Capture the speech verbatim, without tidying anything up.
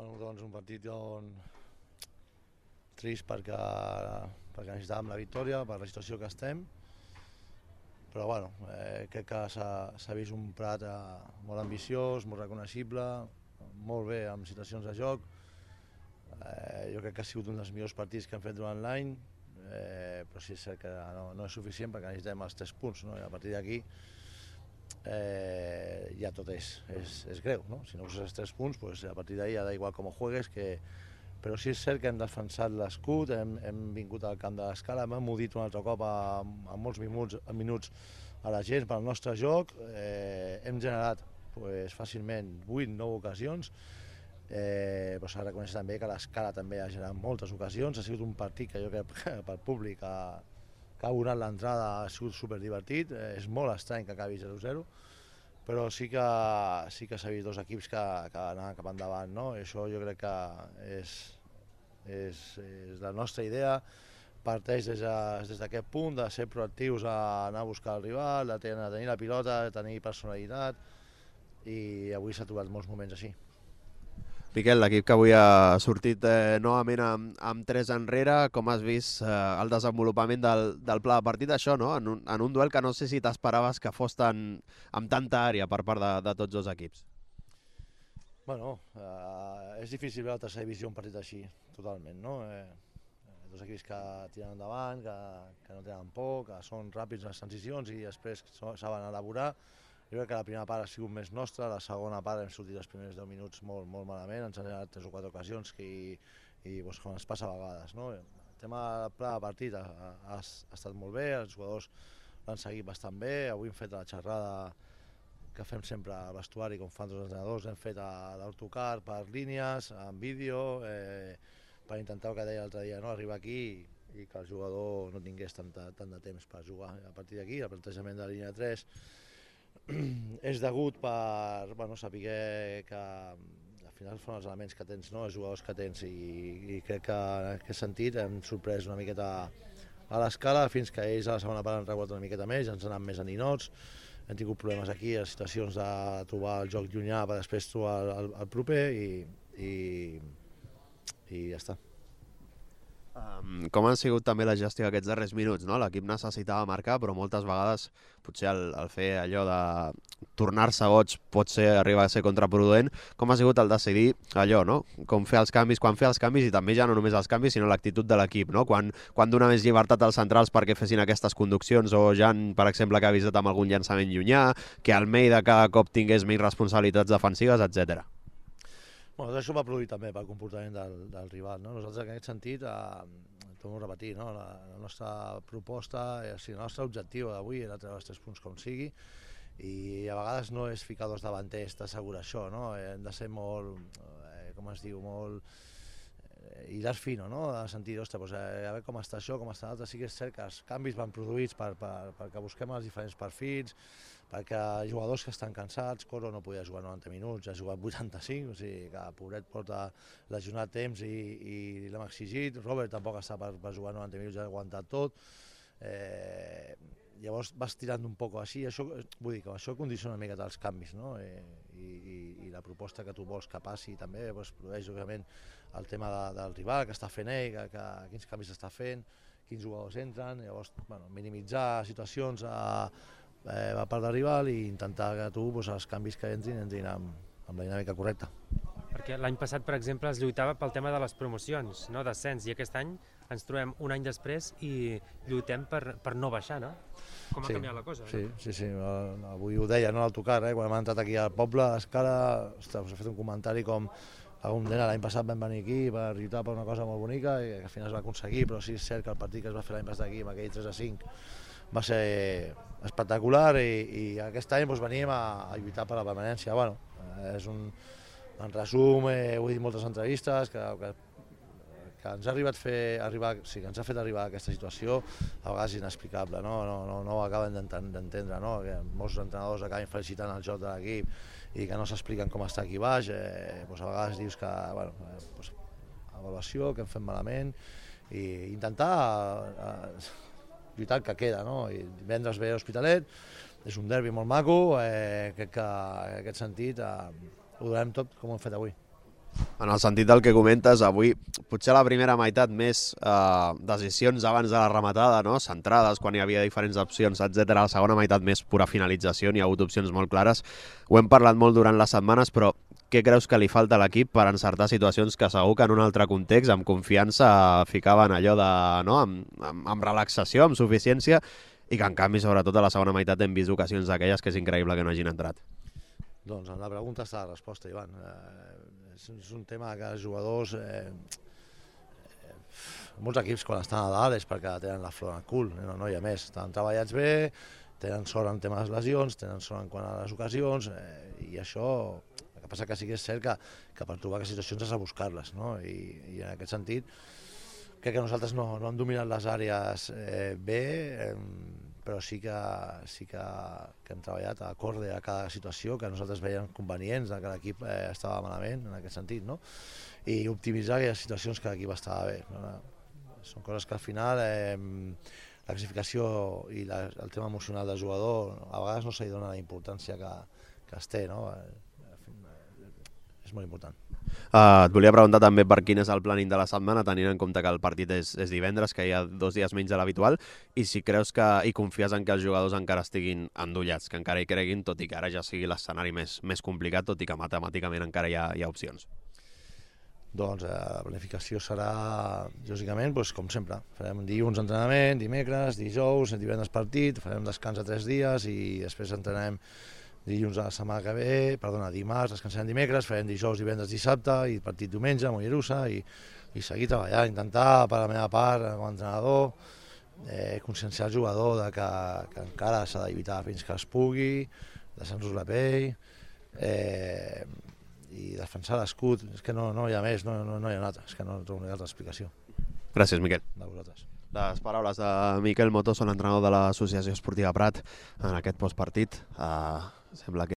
Bueno, doncs un partit on... trist perquè, perquè necessitàvem la victòria, per la situació que estem, però bueno, eh, crec que s'ha vist un Prat eh, molt ambiciós, molt reconeixible, molt bé amb situacions de joc. Eh, jo crec que ha sigut un dels millors partits que hem fet durant l'any, eh, però sí és cert que no, no és suficient perquè necessitem els tres punts, no? I a partir d'aquí eh, ja tot és, és, és greu, no? Si no uses els tres punts, pues a partir d'ahí ja da igual com juegues, que... però sí és cert que hem defensat l'escut, hem, hem vingut al camp de l'Escala, hem emudit un altre cop a, a molts minuts, a minuts a la gent pel nostre joc, eh, hem generat pues, fàcilment vuit nou ocasions, eh, però s'ha de reconèixer també que l'Escala també ha generat moltes ocasions, ha sigut un partit que jo crec que pel públic ha, que ha abonat l'entrada, ha sigut superdivertit, eh, és molt estrany que acabi zero zero, però sí que sí que s'ha vist dos equips que, que anaven cap endavant, no? I això jo crec que és, és, és la nostra idea, parteix des d'aquest de, punt de ser proactius a anar a buscar el rival, de tenir, de tenir la pilota, de tenir personalitat, i avui s'ha trobat molts moments així. Miquel, l'equip que avui ha sortit eh, novament amb, amb tres enrere, com has vist eh, el desenvolupament del, del pla de partit, això, no? En un, en un duel que no sé si t'esperaves que fos tan, amb tanta àrea per part de, de tots dos equips. Bueno, eh, és difícil veure la tercera divisió un partit així, totalment, no? Eh, dos equips que tiren endavant, que, que no tenen por, que són ràpids les transicions i després saben elaborar. Jo crec que la primera part ha sigut més nostra, la segona part hem sortit els primers deu minuts molt, molt malament, ens han generat tres o quatre ocasions que, i, i doncs, com ens passa a vegades. No? El tema del pla de partit ha, ha, ha estat molt bé, els jugadors l'han seguit bastant bé, avui hem fet la xerrada que fem sempre al vestuari, com fan tots els entrenadors, hem fet l'autocar per línies, en vídeo, eh, per intentar, el que deia l'altre dia, no? Arribar aquí i, i que el jugador no tingués tant, tant de temps per jugar. A partir d'aquí, el plantejament de la línia tres és degut per bueno, saber que al final són els elements que tens, no? Els jugadors que tens, i, i crec que en aquest sentit hem sorprès una miqueta a l'Escala fins que ells a la segona part han regulat una miqueta més, ens han anat més a ninots, hem tingut problemes aquí, a situacions de trobar el joc llunyà per després trobar el, el proper i, i, i ja està. Um, com han sigut també la gestió d'aquests darrers minuts, no? L'equip necessitava marcar, però moltes vegades potser el, el fer allò de tornar-se goig pot ser, arribar a ser contraproduent. Com ha sigut el decidir allò, no? Com fer els canvis, quan fer els canvis, i també ja no només els canvis, sinó l'actitud de l'equip, no? Quan, quan donar més llibertat als centrals perquè fessin aquestes conduccions, o Jan, per exemple, que ha avisat amb algun llançament llunyà, que Almeida cada cop tingués menys responsabilitats defensives, etcètera. Bueno, això va produir també pel comportament del, del rival, no? Nosaltres en aquest sentit, eh, torno a repetir, no? la, la nostra proposta, eh, o sigui, el nostre objectiu d'avui era treure els tres punts com sigui, i a vegades no és ficar dos davanters, t'assegura això, no? Hem de ser molt, eh, com es diu, molt eh, hilar fino, no? De sentir, ostres, doncs, eh, a veure com està això, com està l'altre. Sí que és cert que els canvis van produïts per, per, perquè busquem els diferents perfils, perquè jugadors que estan cansats, Coro no podia jugar noranta minuts, ha jugat vuitanta-cinc, o sigui que pobret porta lesionat temps i, i l'hem exigit, Robert tampoc està per, per jugar noranta minuts, ja ha aguantat tot, eh, llavors vas tirant un poc així, això, vull dir que això condiciona una mica els canvis, no? Eh, i, i, i la proposta que tu vols que passi també doncs, produeix, òbviament, el tema de, del rival, que està fent ell, que, que, quins canvis està fent, quins jugadors entren, llavors bueno, minimitzar situacions a Eh, va part del rival i intentar que tu doncs, els canvis que entrin entrin amb, amb la dinàmica correcta. Perquè l'any passat, per exemple, es lluitava pel tema de les promocions, no? D'ascens, i aquest any ens trobem un any després i lluitem per, per no baixar, no? Com ha sí, canviat la cosa? Sí, no? sí, sí, avui ho deia, no, al tocar, eh? Quan hem entrat aquí al poble, a Escala, ostres, us he fet un comentari com algun nena l'any passat vam venir aquí per lluitar per una cosa molt bonica i que al final es va aconseguir, però sí és cert que el partit que es va fer l'any passat aquí, amb aquell tres a cinc, va ser espectacular i, i aquest any doncs, veníem a, a lluitar per la permanència. Bueno, és un, en resum, eh, ho he dit moltes entrevistes, que, que, que ens ha arribat fer, arribar, sí, que ens ha fet arribar a aquesta situació, a vegades inexplicable, no, no, no, no ho acaben d'entendre, no? Que molts entrenadors acaben felicitant el joc de l'equip i que no s'expliquen com està aquí baix, eh, doncs a vegades dius que, bueno, eh, doncs, avaluació, que hem fet malament, i intentar eh, lluitar el que queda, no? I divendres ve l'Hospitalet, és un derbi molt maco, eh, crec que en aquest sentit eh, ho donarem tot com ho hem fet avui. En el sentit del que comentes, avui potser a la primera meitat més eh, decisions abans de la rematada, no? Centrades, quan hi havia diferents opcions, etcètera. A la segona meitat més pura finalització, n'hi ha hagut opcions molt clares. Ho hem parlat molt durant les setmanes, però què creus que li falta a l'equip per encertar situacions que segur que en un altre context, amb confiança, ficaven allò de, no? amb, amb, amb relaxació, amb suficiència, i que en canvi, sobretot a la segona meitat, hem vist ocasions d'aquelles que és increïble que no hagin entrat? Doncs en la pregunta està la resposta, Ivan. Eh, és un tema que els jugadors, eh, eh, molts equips quan estan a dalt és perquè tenen la flor al cul, no, no hi ha més. Estan treballats bé, tenen sort en temes de lesions, tenen sort en quant a les ocasions, eh, i això, el que passa que sí que és cert que, que per trobar aquestes situacions has de buscar-les, no? I, i en aquest sentit crec que nosaltres no, no hem dominat les àrees eh, bé, eh, però sí que, sí que, que hem treballat a acorde a cada situació que nosaltres veiem convenients, que l'equip eh, estava malament en aquest sentit, no? I optimitzar aquelles situacions que l'equip estava bé. No? Són coses que al final eh, la classificació i la, el tema emocional del jugador a vegades no se li dona la importància que, que es té, no? És molt important. Uh, et volia preguntar també per quin és el planning de la setmana, tenint en compte que el partit és, és divendres, que hi ha dos dies menys de l'habitual, i si creus que i confies en que els jugadors encara estiguin endollats, que encara hi creguin, tot i que ara ja sigui l'escenari més, més complicat, tot i que matemàticament encara hi ha, hi ha opcions. Doncs eh, la planificació serà, lògicament, doncs, com sempre. Farem dilluns entrenament, dimecres, dijous, divendres partit, farem descans de tres dies i després entrenem dilluns a la setmana que ve, perdona, dimarts, descansarem dimecres, farem dijous, divendres, dissabte i partit diumenge a Mollerussa i, i seguir treballant, intentar per la meva part com a entrenador eh, conscienciar el jugador de que, que encara s'ha d'evitar fins que es pugui, deixar-nos la pell eh, i defensar l'escut. És que no, no hi ha més, no, no, no hi ha una altra, és que no trobo una altra explicació. Gràcies, Miquel. De vosaltres. Les paraules de Miquel Motoso, l'entrenador de l'Associació Esportiva Prat, en aquest postpartit. Uh, sembla que